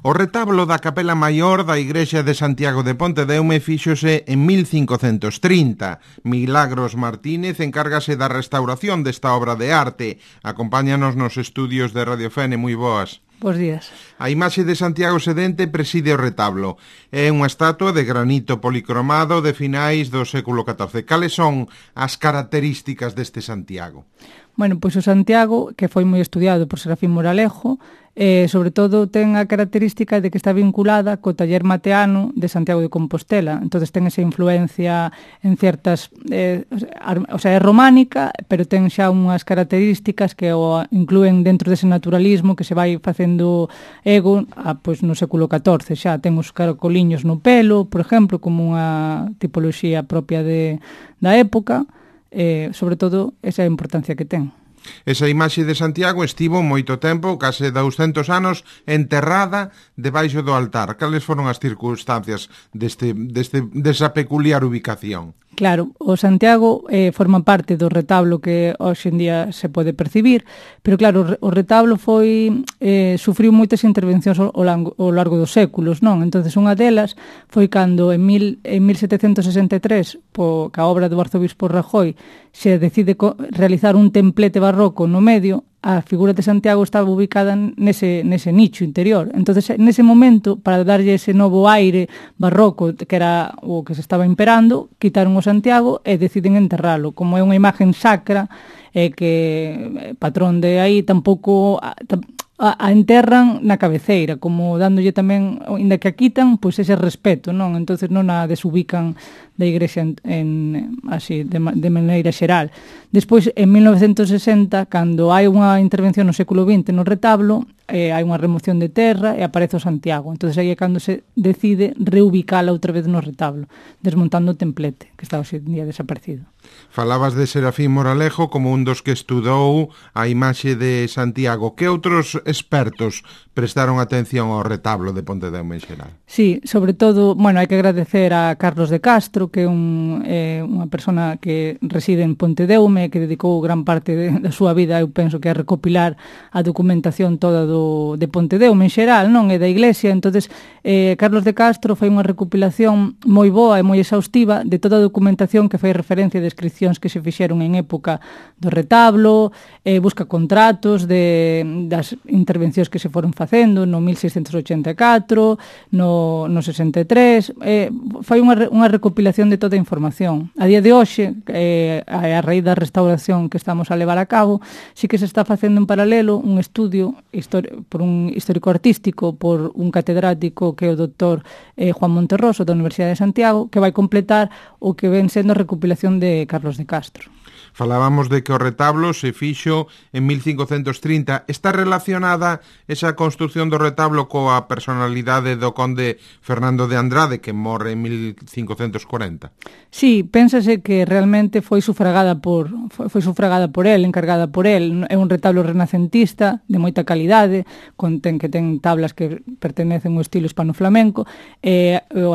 O retablo da capela maior da igrexa de Santiago de Pontedeume fíxose en 1530. Milagros Martínez encárgase da restauración desta obra de arte. Acompáñanos nos estudios de Radio Fene. Moi boas. Bos días. A imaxe de Santiago Sedente preside o retablo. É unha estatua de granito policromado de finais do século XIV. Cales son as características deste Santiago? Bueno, pois o Santiago, que foi moi estudiado por Serafín Moralejo, sobre todo ten a característica de que está vinculada co taller mateano de Santiago de Compostela. Entonces ten esa influencia en certas... o sea, é románica, pero ten xa unhas características que o incluen dentro dese naturalismo que se vai facendo ego pois no século XIV. Xa ten os caracoliños no pelo, por exemplo, como unha tipoloxía propia da época. Sobre todo esa importancia que ten. Esa imaxe de Santiago estivo moito tempo, case 200 anos, enterrada debaixo do altar. Cales foron as circunstancias desa peculiar ubicación? Claro, o Santiago forma parte do retablo que hoxe en día se pode percibir, pero claro, o retablo sufriu moitas intervencións ao largo dos séculos, non? Entonces unha delas foi cando en 1763, ca obra do arzobispo Rajoy, se decide realizar un templete barroco no medio. A figura de Santiago estaba ubicada nese nicho interior. Entonces, nese momento, para darlle ese novo aire barroco que era o que se estaba imperando, quitaron o Santiago e deciden enterralo. Como é unha imagen sacra, que patrón de aí tampouco a enterran na cabeceira, como dándolle tamén, inda que a quitan, pois ese respeto, non? Entonces non a desubican da igrexa así, de maneira xeral. Despois, en 1960, cando hai unha intervención no século XX no retablo, hai unha remoción de terra e aparece o Santiago. Entonces aí é cando se decide reubicala outra vez no retablo, desmontando o templete, que está hoxe en día desaparecido. Falabas de Serafín Moralejo como un dos que estudou a imaxe de Santiago. Que outros expertos prestaron atención ao retablo de Pontedeume en xeral? Sí, sobre todo, bueno, hai que agradecer a Carlos de Castro, que é unha persona que reside en Pontedeume, que dedicou gran parte da súa vida, eu penso que a recopilar a documentación toda de Pontedeume en xeral, non? E da iglesia. Entonces, Carlos de Castro foi unha recopilación moi boa e moi exhaustiva de toda a documentación que fai referencia a descripcións que se fixeron en época do retablo, busca contratos das intervencións que se foron facendo no 1684, no 63, fai unha recopilación de toda a información. A día de hoxe, a raíz da restauración que estamos a levar a cabo, sí que se está facendo en paralelo un estudio por un histórico artístico, por un catedrático que é o doctor Juan Monterroso da Universidade de Santiago, que vai completar o que ven sendo a recopilación de Carlos de Castro. Falábamos de que o retablo se fixo en 1530. Está relacionada esa construción do retablo coa personalidade do conde Fernando de Andrade, que morre en 1540? Sí, pénsase que realmente foi sufragada por el, encargada por el. É un retablo renacentista de moita calidade, que ten tablas que pertenecen ao estilo hispano-flamenco. O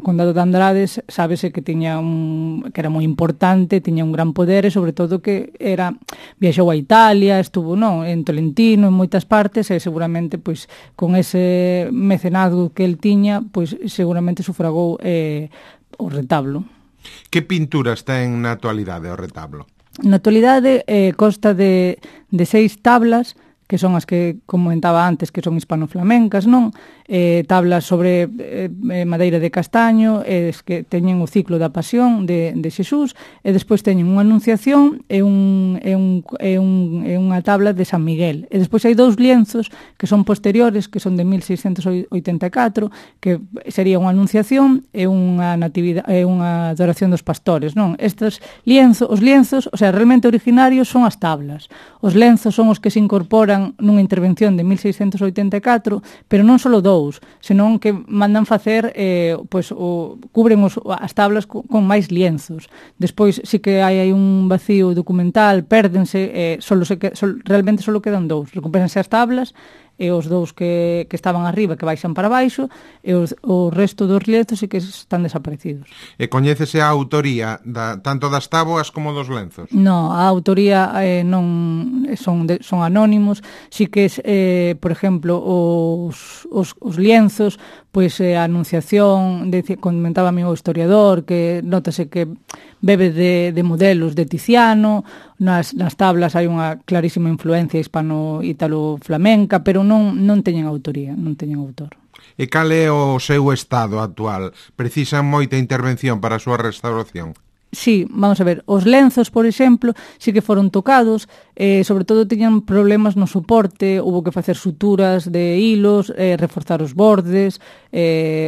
condado de Andrade sábese que que era moi importante, tiña un gran poder e sobre todo que viaxou a Italia, estuvo en Tolentino, en moitas partes, e seguramente pois con ese mecenazgo que el tiña, pois seguramente sufragou o retablo. Que pinturas ten na actualidade o retablo? Na actualidade consta de 6 tablas, que son as que comentaba antes, que son hispano-flamencas, non? Tablas sobre madeira de castaño, que teñen o ciclo da pasión de Xesús, e despois teñen unha anunciación e unha tabla de San Miguel. E despois hai 2 lienzos que son posteriores, que son de 1684, que sería unha anunciación e unha adoración dos pastores, non? Os lienzos, o sea, realmente originarios son as tablas. Os lenzos son os que se incorporan nunha intervención de 1684, pero non só 2, senón que mandan facer, cubren as tablas con máis lienzos. Despois, sí que hai un vacío documental, pérdense, realmente só quedan 2. Recupéranse as tablas e os dous que estaban arriba que baixan para baixo, e o resto dos lienzos sí que están desaparecidos. E coñécese a autoría tanto das táboas como dos lenzos? No, a autoría non son anónimos, sí que por exemplo, os lienzos, pois a Anunciación, comentaba o historiador, que notase que bebe de modelos de Tiziano, nas tablas hai unha clarísima influencia hispano-italo-flamenca, pero non teñen autoría, non teñen autor. E cal é o seu estado actual? Precisan moita intervención para a súa restauración? Sí, vamos a ver, os lenzos, por exemplo, sí que foron tocados, sobre todo tiñan problemas no soporte, hubo que facer suturas de hilos, reforzar os bordes,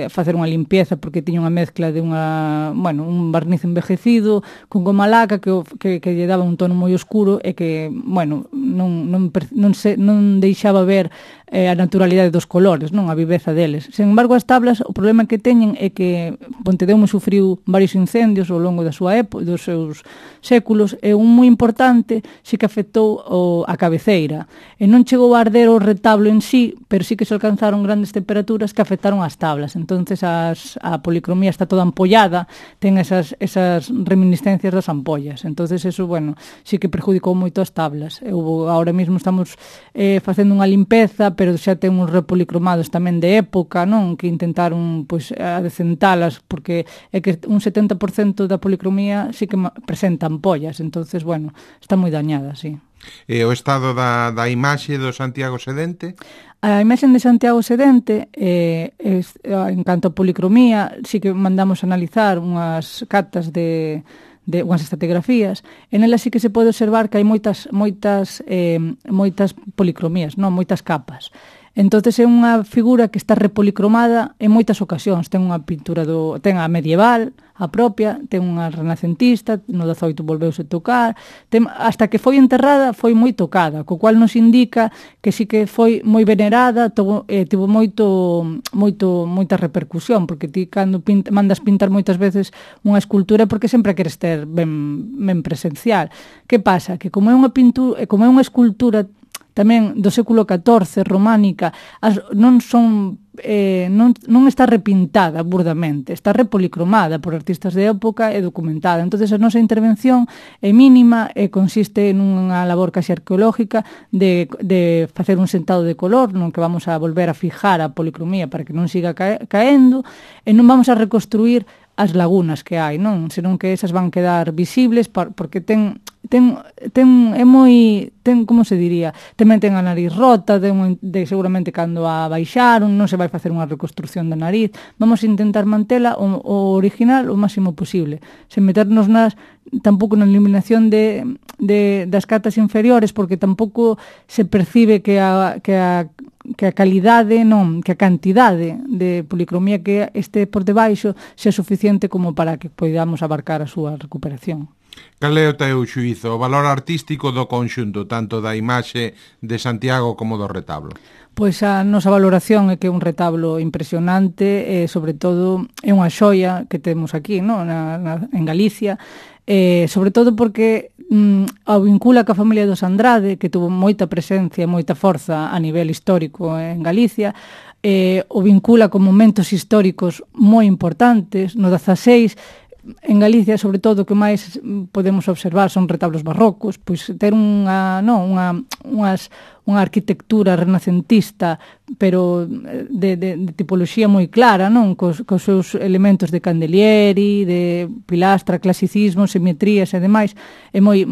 facer unha limpieza porque tiña unha mezcla de un barniz envejecido con goma laca que lle daba un tono moi oscuro e que, non deixaba ver a naturalidade dos colores, non a viveza deles. Sen embargo, as tablas, o problema que teñen é que Pontedeume sufriu varios incendios ao longo da súa dos seus séculos, e un moi importante sí que afectou a cabeceira. E non chegou a arder o retablo en sí, pero sí que se alcanzaron grandes temperaturas que afectaron as tablas. Entonces a policromía está toda ampollada, ten esas reminiscencias das ampollas. Entonces eso, sí que perjudicou moito as tablas. Ahora mesmo estamos facendo unha limpeza, pero xa ten uns repolicromados tamén de época, non? Que intentaron adecentalas, porque é que un 70% da policromía sí que presenta ampollas, entonces, está moi dañada, sí. E o estado da imaxe do Santiago Sedente? A imaxe de Santiago Sedente, en canto a policromía, sí que mandamos analizar unhas catas de unhas estratigrafías, en elas sí que se pode observar que hai moitas policromías, non, moitas capas. Entonces é unha figura que está repolicromada en moitas ocasións. Ten unha pintura ten a medieval, a propia, ten unha renacentista, no 18 volveuse tocar, hasta que foi enterrada foi moi tocada, co cual nos indica que sí que foi moi venerada, tivo moita repercusión, porque ti cando mandas pintar moitas veces unha escultura porque sempre queres ter ben presencial. Que pasa? Que como é unha pintura, como é unha escultura tamén do século XIV, románica, non está repintada burdamente, está repolicromada por artistas de época e documentada. Entonces a nosa intervención é mínima e consiste en unha labor casi arqueológica de facer un sentado de color, non que vamos a volver a fijar a policromía para que non siga caendo, e non vamos a reconstruir as lagunas que hai, non? Senón que esas van quedar visibles porque como se diría, tamén ten a nariz rota, seguramente cando a baixaron, non se vai facer unha reconstrucción da nariz. Vamos a intentar mantela o original o máximo posible, sen meternos tampouco na eliminación das catas inferiores, porque tampouco se percibe que a calidade, non, que a cantidade de policromía que este por debaixo sea suficiente como para que podamos abarcar a súa recuperación. Cal é o teu xuízo, o valor artístico do conxunto, tanto da imaxe de Santiago como do retablo? Pois a nosa valoración é que é un retablo impresionante, e sobre todo é unha xoia que temos aquí, non? En Galicia, sobre todo porque o vincula ca familia dos Andrade, que tuvo moita presencia, moita forza a nivel histórico en Galicia, o vincula con momentos históricos moi importantes. No 16, en Galicia, sobre todo, o que máis podemos observar son retablos barrocos, pois ter unha arquitectura renacentista, pero de tipoloxía moi clara, non? Cos seus elementos de candelieri, de pilastra, clasicismo, simetrías e demais, é moi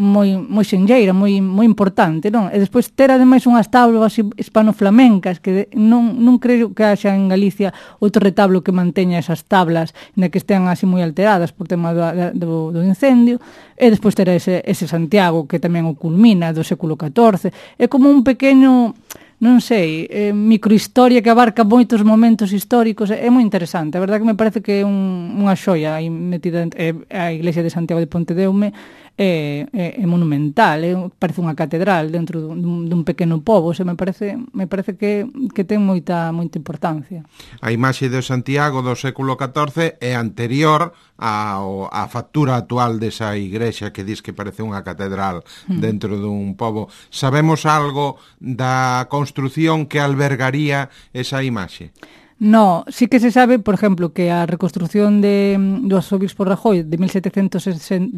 xenlleira, moi importante, non? E despois ter ademais unhas tablas hispano-flamencas, que non creo que haxa en Galicia outro retablo que manteña esas tablas na que estean así moi alteradas por tema do incendio, e despois ter ese Santiago que tamén o culmina do século XIV. É como un pequeno, non sei, microhistoria que abarca moitos momentos históricos. É moi interesante, a verdade que me parece que é unha xoia aí metida a Iglesia de Santiago de Pontedeume. é monumental, parece unha catedral dentro dun pequeno pobo, me parece que ten moita importancia. A imaxe de Santiago do século XIV é anterior á factura actual desa igrexa que dis que parece unha catedral dentro dun pobo. Sabemos algo da construción que albergaría esa imaxe? No, sí que se sabe, por exemplo, que a reconstrucción do arzobispo Rajoy de 1750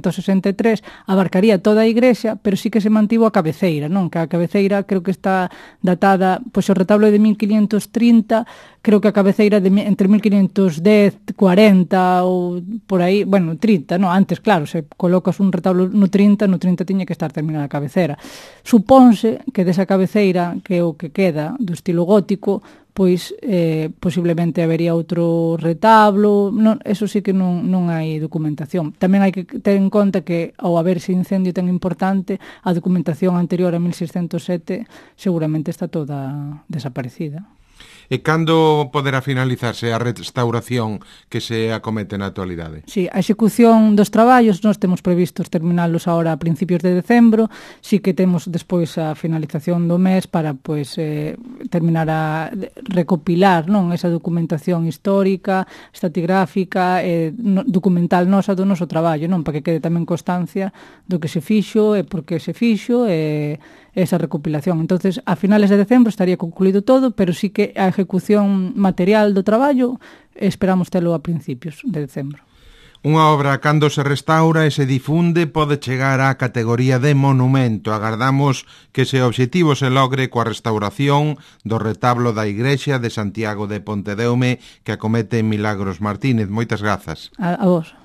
ao 63 abarcaría toda a igrexa, pero sí que se mantivo a cabeceira, non? Que a cabeceira creo que está datada, pois o retablo é de 1530, creo que a cabeceira de entre 1510, 40 ou por aí, bueno, 30, non? Antes, claro, se colocas un retablo no 30 tiña que estar terminada a cabeceira. Supónse que desa cabeceira, que é o que queda do estilo gótico, pois posiblemente habería outro retablo, non, eso sí que non hai documentación. Tamén hai que ter en conta que ao haber ese incendio tan importante, a documentación anterior a 1607 seguramente está toda desaparecida. E cando poderá finalizarse a restauración que se acomete na actualidade? Sí, a execución dos traballos nós temos previstos terminalos agora a principios de decembro, sí que temos despois a finalización do mes para terminar a recopilar, non, esa documentación histórica, estratigráfica, documental nosa do noso traballo, non, para que quede tamén constancia do que se fixo e por que se fixo e esa recopilación. Entonces, a finales de decembro estaría concluído todo, pero sí que a ejecución material do traballo esperamos telo a principios de decembro. Unha obra, cando se restaura e se difunde, pode chegar á categoría de monumento. Agardamos que ese obxectivo se logre coa restauración do retablo da igrexa de Santiago de Pontedeume que acomete Milagros Martínez. Moitas grazas. A vos.